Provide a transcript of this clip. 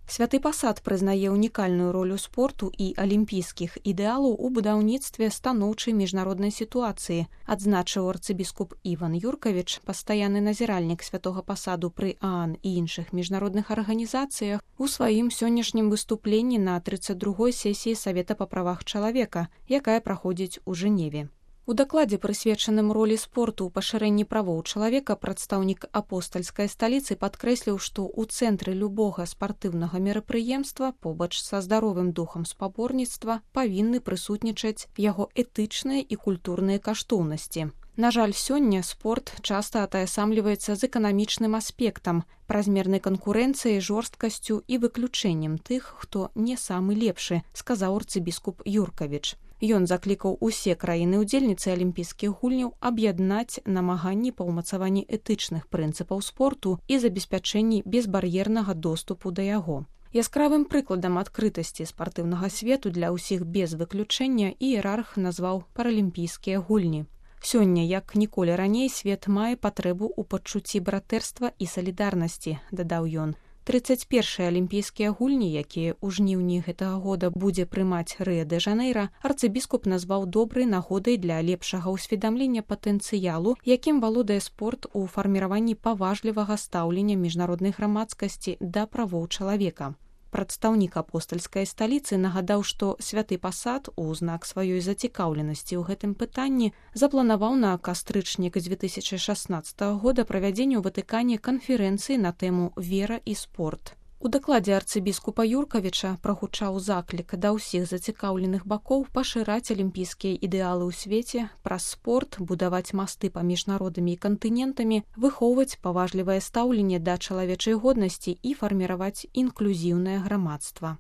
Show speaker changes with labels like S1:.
S1: Святы пасад прызнае ўнікальную ролю спорту і алімпійскіх ідэалаў у будаўніцтве станоўчай міжнароднай сітуацыі, адзначыў арцыбіскуп Іван Юркавіч, пастаянны назіральнік святога пасаду пры ААН і іншых міжнародных арганізацыях, у сваім сённяшнім выступленні на 32-й сесіі Савета па правах чалавека, якая праходзіць у Жэневе. У дакладзе, прысвечаным ролі спорту ў пашырэнні правоў чалавека, прадстаўнік апостальскай сталіцы падкрэсліў, што ў цэнтры любога спартыўнага мерапрыемства побач са здаровым духам спаборніцтва павінны прысутнічаць яго этычныя і культурныя каштоўнасці. На жаль, сёння спорт часта атаясамліваецца з эканамічным аспектам, празмернай канкурэнцыяй, жорсткасцю і выключэннем тых, хто не самы лепшы, сказаў арцыбіскуп Юркавіч. Ён заклікаў усе краіны-удзельніцы алімпійскіх гульняў аб'яднаць намаганні па ўмацаванні этычных прынцыпаў спорту і забеспячэнні безбар'ернага доступу да яго. Яскравым прыкладам адкрытасці спартыўнага свету для ўсіх без выключэння іерарх назваў паралімпійскія гульні. Сёння, як ніколі раней, свет мае патрэбу ў пачуцці братэрства і салідарнасці, дадаў ён. 31-е алімпійскія гульні, якія ў жніўні гэтага года будзе прымаць Рыа-дэ-Жанэйра, арцыбіскуп назваў добрай нагодай для лепшага ўсведамлення патэнцыялу, якім валодае спорт у фарміраванні паважлівага стаўлення міжнароднай грамадскасці да правоў чалавека. Прадстаўнік апостальскай сталіцы нагадаў, што святы пасад у знак сваёй зацікаўленасці ў гэтым пытанні запланаваў на кастрычнік 2016 года правядзенне ў Ватыкане канферэнцыі на тэму «Вера і спорт». У дакладзе арцыбіскупа Юркавіча прагучаў заклік да ўсіх зацікаўленых бакоў пашыраць алімпійскія ідэалы ў свеце, праз спорт, будаваць масты паміж народамі і кантынентамі, выхоўваць паважлівае стаўленне да чалавечай годнасці і фарміраваць інклюзіўнае грамадства.